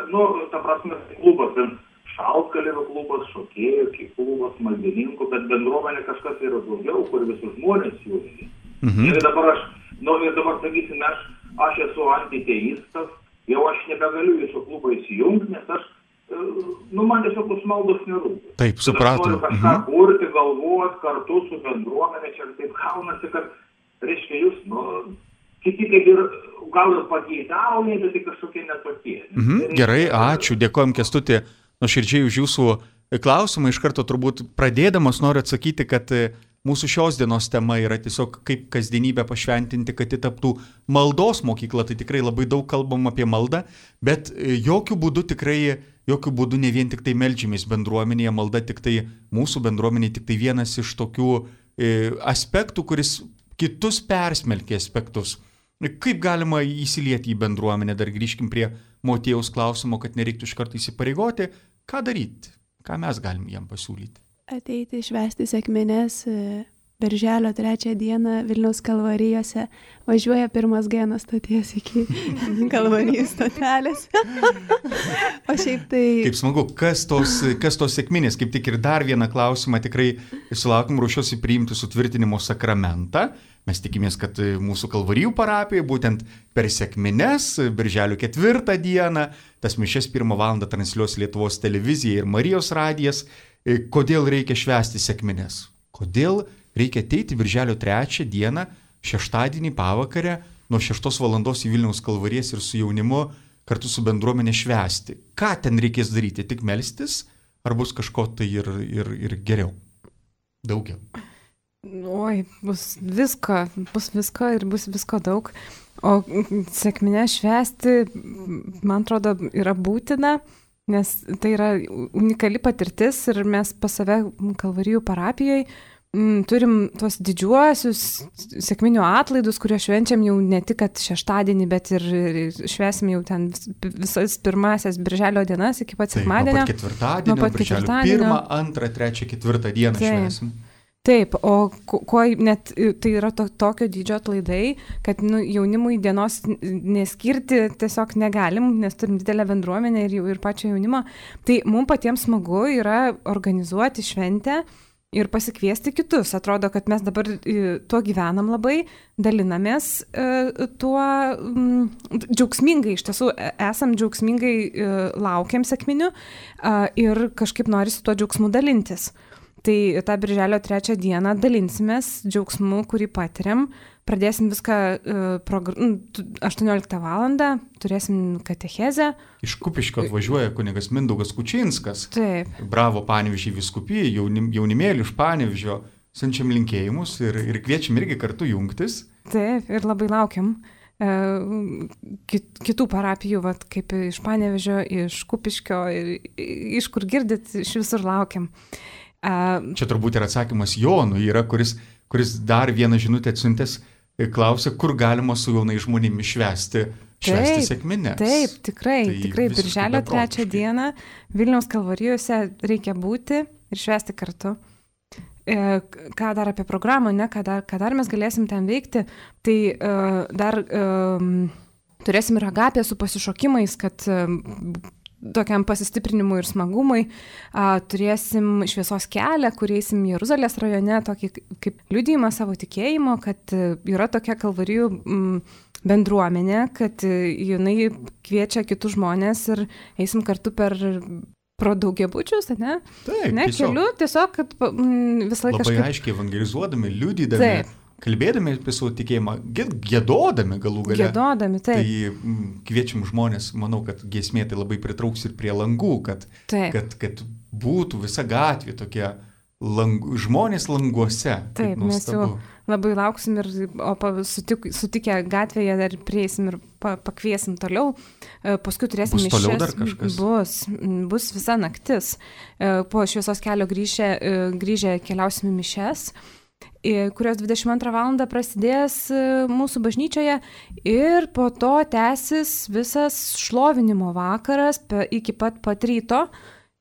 ta prasme, klubas, ten šaltkalvių klubas, šokėjų klubas, maldininkų, bet bendruomenė kažkas yra daugiau, kur visus žmonės jungia. Ir dabar sakysim, aš esu antiteistas, jau aš nebegaliu jūsų klubą įsijungti, nes aš man tiesiog maldos nerūpi. Taip, supratau. Noriu kažką kurti, galvoti kartu su bendruomenė, čia taip gaunasi, kad, reiškia, jūs, kiti kaip ir gal ir pageidaujate, bet tai kažkokie netokie. Gerai, ačiū, dėkojom Kęstuti nuoširdžiai už jūsų klausimą. Iš karto turbūt pradėdamas noriu atsakyti, kad mūsų šios dienos tema yra tiesiog kaip kasdienybę pašventinti, kad ji taptų maldos mokykla. Tai tikrai labai daug kalbam apie maldą, bet jokių būdų ne vien tik tai meldžiamės bendruomenėje, malda tik tai mūsų bendruomenėje tik tai vienas iš tokių aspektų, kuris kitus persmelkia aspektus. Kaip galima įsilieti į bendruomenę, dar grįžkim prie Motiejaus klausimo, kad nereiktų iš karto įsipareigoti, ką daryti, ką mes galim jam pasiūlyti. Ateiti švęsti sekmines Birželio 3 dieną Vilniaus Kalvarijose, važiuoja pirmas G nuo stoties iki Kalvarijų stotelės. O šiaip tai... Kaip smagu, kas tos sekminės, kaip tik ir dar vieną klausimą tikrai sulaukim, ruošiuosi priimti sutvirtinimo sakramentą. Mes tikimės, kad mūsų Kalvarijų parapijoje būtent per sekmines, Birželio 4 dieną, tas mišias 1 valandą transliuos Lietuvos televizija ir Marijos radijas. Kodėl reikia švęsti sekmines? Kodėl reikia ateiti Birželio 3 dieną, šeštadienį pavakarę, nuo 6 valandos į Vilniaus Kalvarijas ir su jaunimu kartu su bendruomenė švęsti? Ką ten reikės daryti? Tik melstis? Ar bus kažko tai ir geriau? Daugiau? Oi, bus visko ir bus visko daug. O sekminę švęsti, man atrodo, yra būtina, nes tai yra unikali patirtis ir mes pas save Kalvarijų parapijoje turim tuos didžiuosius sekminių atlaidus, kuriuos švenčiam jau ne tik šeštadienį, bet ir švęsim jau ten visas pirmasias Birželio dienas iki pat sekmadienio. Nuo pat ketvirtadienio, Birželio 1, 2, 3, 4 dieną švęsim. Taip, o kuo net tai yra tokio dydžio atlaidai, kad jaunimui dienos neskirti tiesiog negalim, nes turim didelę bendruomenę ir pačio jaunimo. Tai mums patiems smagu yra organizuoti šventę ir pasikviesti kitus. Atrodo, kad mes dabar tuo gyvenam labai, dalinamės tuo džiaugsmingai, iš tiesų esam džiaugsmingai laukiam sekminių ir kažkaip norisi tuo džiaugsmu dalintis. Tai tą birželio 3 dieną dalinsimės džiaugsmu, kurį patiriam. Pradėsim viską 18 valandą, turėsim katechezę. Iš Kupiškio atvažiuoja kunigas Mindaugas Kučinskas. Taip. Bravo Panevėžį vyskupijai, jaunimėlį iš Panevėžio. Siunčiam linkėjimus ir kviečiam irgi kartu jungtis. Taip, ir labai laukiam kitų parapijų, vat, kaip iš Panevėžio, iš Kupiškio, iš kur girdit, iš visur laukiam. Čia turbūt ir atsakymas Jonui yra, kuris dar vieną žinutę atsiuntęs, klausia, kur galima su jaunai žmonėmis švęsti sekmines. Taip, tikrai, birželio 3 dieną Vilniaus Kalvarijose reikia būti ir švęsti kartu. Ką dar apie programą, ne, ką dar mes galėsim ten veikti, tai dar turėsim ir agapiją su pasišokimais, kad tokiam pasistiprinimui ir smagumui. Turėsim šviesos kelią, kur eisim Jeruzalės rajone, tokį kaip liudijimą savo tikėjimo, kad yra tokia Kalvarijų bendruomenė, kad jinai kviečia kitus žmonės ir eisim kartu pro daugiabučius, ne? Taip, ne, keliu, tiesiog, kad visą laiką labai aiškiai evangelizuodami, liudydami, kalbėdami apie savo tikėjimą, giedodami galų gale. Giedodami, taip. Tai kviečiam žmonės, manau, kad giesmė tai labai pritrauks ir prie langų, kad būtų visa gatvė tokie žmonės languose. Taip, mes jau labai lauksim sutikę gatvėje dar prieisim ir pakviesim toliau. Paskui turėsim mišias. Bus toliau dar kažkas? Bus visa naktis. Po šviesos kelio grįžę keliausim į mišias, kurios 22 valandą prasidės mūsų bažnyčioje ir po to tęsis visas šlovinimo vakaras iki pat ryto.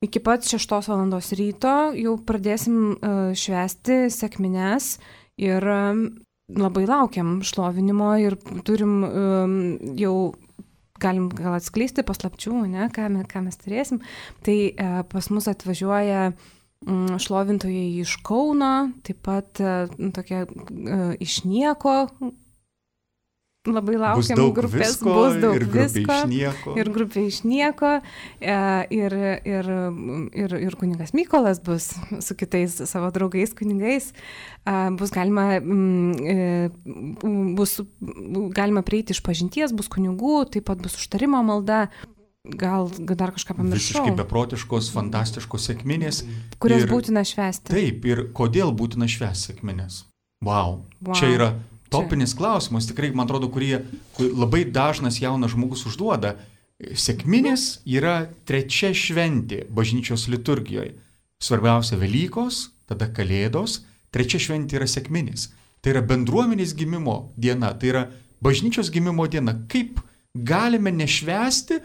Iki pat 6 valandos ryto jau pradėsim švęsti sekmines ir labai laukiam šlovinimo ir turim jau, galim gal atskleisti paslapčių, ne, ką mes turėsim. Tai pas mus atvažiuoja šlovintojai iš Kauno, taip pat tokia iš Nieko. Labai laukiam grupės, bus daug visko ir grupė iš Nieko ir kunigas Mykolas bus su kitais savo draugais kunigais, bus galima prieiti iš pažinties, bus kunigų, taip pat bus užtarimo malda, gal dar kažką pamiršau. Visiškai beprotiškos, fantastiškos sekminės. Kurias būtina švęsti. Taip, ir kodėl būtina švęsti sekminės? Wow. Čia yra topinis klausimas, tikrai, man atrodo, kurį labai dažnas jaunas žmogus užduoda. Sekminės yra 3 šventė bažnyčios liturgijoje. Svarbiausia Velykos, tada Kalėdos, 3 šventė yra sekminės. Tai yra bendruomenės gimimo diena, tai yra bažnyčios gimimo diena. Kaip galime nešvęsti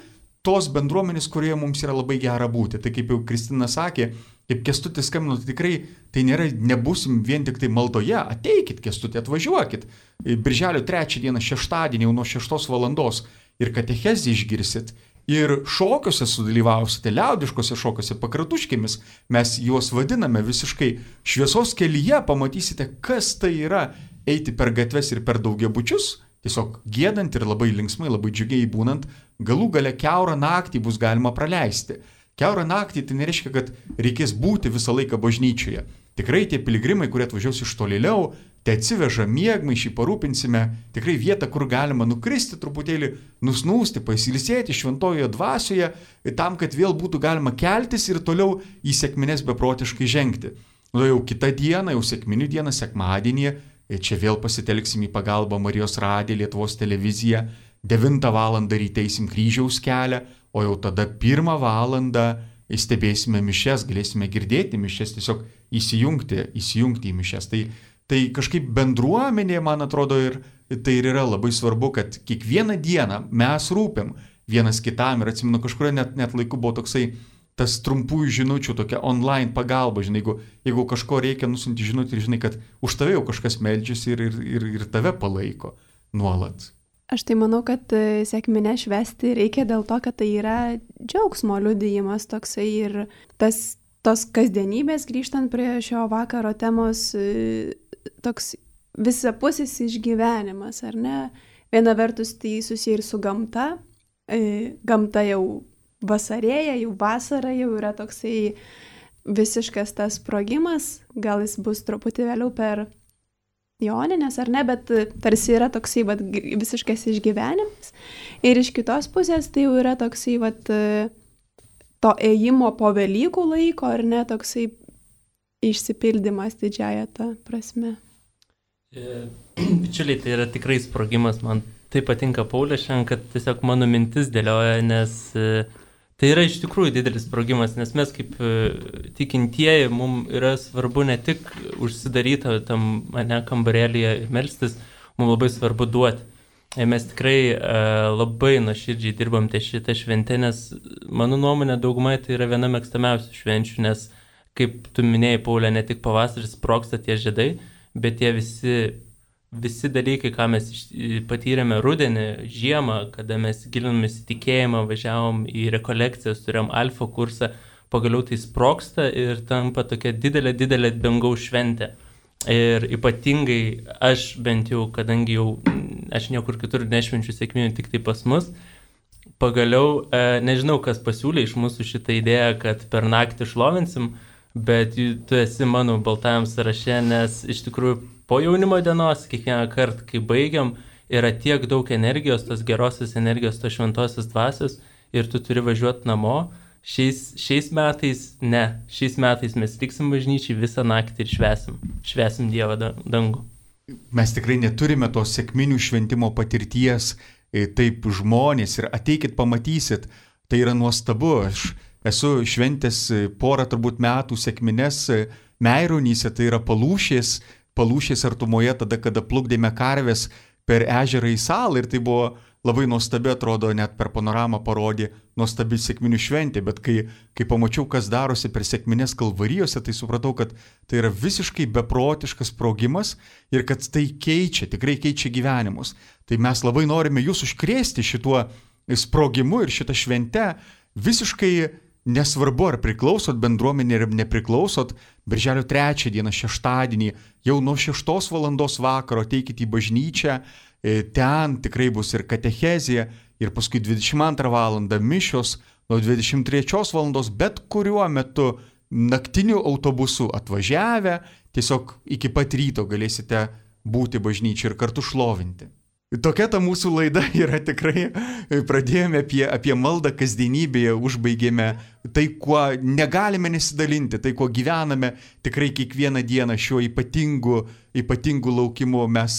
tos bendruomenės, kurioje mums yra labai gera būti. Tai kaip jau Kristina sakė, kaip Kęstutis skambino, tai tikrai tai nebūsim vien tik tai maldoje. Ateikit, Kęstutį, atvažiuokit. Birželio 3 dieną, šeštadienį, jau nuo 6 valandos ir katechezį išgirsit. Ir šokiuose sudalyvausite, liaudiškose šokiuose, pakratuškėmis. Mes juos vadiname visiškai šviesos kelyje, pamatysite, kas tai yra eiti per gatves ir per daugiabučius. Tiesiog giedant ir labai linksmai, labai džiugiai būnant, galų gale kiaurą naktį bus galima praleisti. Kiaurą naktį tai nereiškia, kad reikės būti visą laiką bažnyčioje. Tikrai tie piligrimai, kurie atvažiaus iš tolėliau, tai atsiveža miegmaišį, parūpinsime tikrai vietą, kur galima nukristi truputėlį, nusnūsti, pasiilsėti šventojoje dvasioje, tam, kad vėl būtų galima keltis ir toliau į sekmines beprotiškai žengti. O jau kitą dieną, jau sekminių dieną, sekmadienį, čia vėl pasitelksim į pagalbą Marijos radiją, Lietuvos televiziją, 9 valandą ryte eisim kryžiaus kelią, o jau tada 1 valandą stebėsime mišias, galėsime girdėti mišias, tiesiog įsijungti į mišias. Tai kažkaip bendruomenė, man atrodo, ir tai ir yra labai svarbu, kad kiekvieną dieną mes rūpim vienas kitam ir atsimenu, kažkurio net laiku buvo toksai tas trumpųjų žinučių, tokia online pagalba, žinai, jeigu kažko reikia, nusinti žinutį ir žinai, kad už tave jau kažkas meldžiasi ir tave palaiko nuolat. Aš tai manau, kad sekminę švęsti reikia dėl to, kad tai yra džiaugsmo liudijimas toksai ir tos kasdienybės, grįžtant prie šio vakaro temos, toks visapusis išgyvenimas, ar ne? Viena vertus tai susiję ir su gamta. Gamta jau vasarėja, jau vasara jau yra toksai visiškas tas sprogimas, gal jis bus truputį vėliau per Joninės ar ne, bet tarsi yra toksai visiškas išgyvenimas. Ir iš kitos pusės tai jau yra toksai to ėjimo po Velykų laiko, ar ne, toksai išsipildymas didžiąją tą prasme. Bičiuliai, tai yra tikrai sprogimas. Man tai patinka Paulė šiandien, kad tiesiog mano mintis dėlioja, nes tai yra iš tikrųjų didelis sprogimas, nes mes kaip tikintieji, mums yra svarbu ne tik užsidaryti tam kambarėlyje melstis, mums labai svarbu duoti. Mes tikrai labai nuoširdžiai dirbam ties šitą šventę, nes mano nuomonė daugumai tai yra viena mėgstamiausių švenčių, nes kaip tu minėjai, Paulė, ne tik pavasaris sprogsta tie žiedai, bet tie visi dalykai, ką mes patyrėme rudenį, žiemą, kada mes gilinomės į tikėjimą, važiavom į rekolekcijas, turėjom alfa kursą, pagaliau tai sprogsta ir tampa tokia didelė dangaus šventė. Ir ypatingai aš bent jau, kadangi jau aš niekur kitur nešvenčiu sekminių, tik tai pas mus, pagaliau, nežinau, kas pasiūlė iš mūsų šitą idėją, kad per naktį šlovinsim, bet tu esi mano baltajam sąraše, nes iš tikrųjų po jaunimo dienos, kiekvieną kartą, kai baigiam, yra tiek daug energijos, tos gerosios energijos, tos šventosios dvasios ir tu turi važiuoti namo. Šiais metais mes liksim bažnyčiai visą naktį ir švesim Dievą dangų. Mes tikrai neturime tos sekminių šventimo patirties, taip žmonės ir ateikit pamatysit, tai yra nuostabu. Aš esu šventęs porą turbūt metų sekmines Meironyse, tai yra Palūšės artumoje, tada, kada plukdėme karves per ežerą į salą ir tai buvo labai nuostabi, atrodo, net per panoramą parodė nuostabi sekminių šventė, bet kai pamačiau, kas darosi per sekmines Kalvarijose, tai supratau, kad tai yra visiškai beprotiškas sprogimas ir kad tai tikrai keičia gyvenimus. Tai mes labai norime jūs užkrėsti šituo sprogimu ir šitą šventę visiškai nesvarbu, ar priklausot bendruomenė ar nepriklausot, Birželio 3 dieną, šeštadienį, jau nuo 6 valandos vakaro ateikite į bažnyčią, ten tikrai bus ir katechezija, ir paskui 22 valandą mišios, nuo 23 valandos, bet kuriuo metu naktiniu autobusu atvažiavę, tiesiog iki pat ryto galėsite būti bažnyčiai ir kartu šlovinti. Tokia ta mūsų laida yra tikrai, pradėjome apie maldą kasdienybėje, užbaigėme tai, kuo negalime nesidalinti, tai, kuo gyvename tikrai kiekvieną dieną šiuo ypatingu laukimu. Mes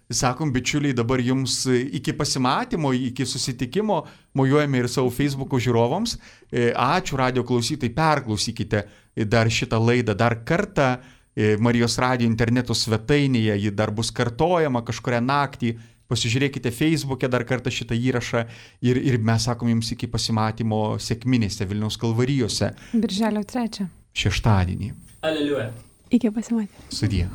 sakom, bičiuliai, dabar jums iki pasimatymo, iki susitikimo, mojuojame ir savo Facebook'o žiūrovams. Ačiū radijo klausytojai, perklausykite dar šitą laidą dar kartą. Marijos radijo interneto svetainėje, ji dar bus kartojama kažkurią naktį. Pasižiūrėkite Facebook'e dar kartą šitą įrašą ir mes sakom jums iki pasimatymo sekminėse Vilniaus Kalvarijose. Birželio 3. Šeštadienį. Aleliuja. Iki pasimatymo. Sudie.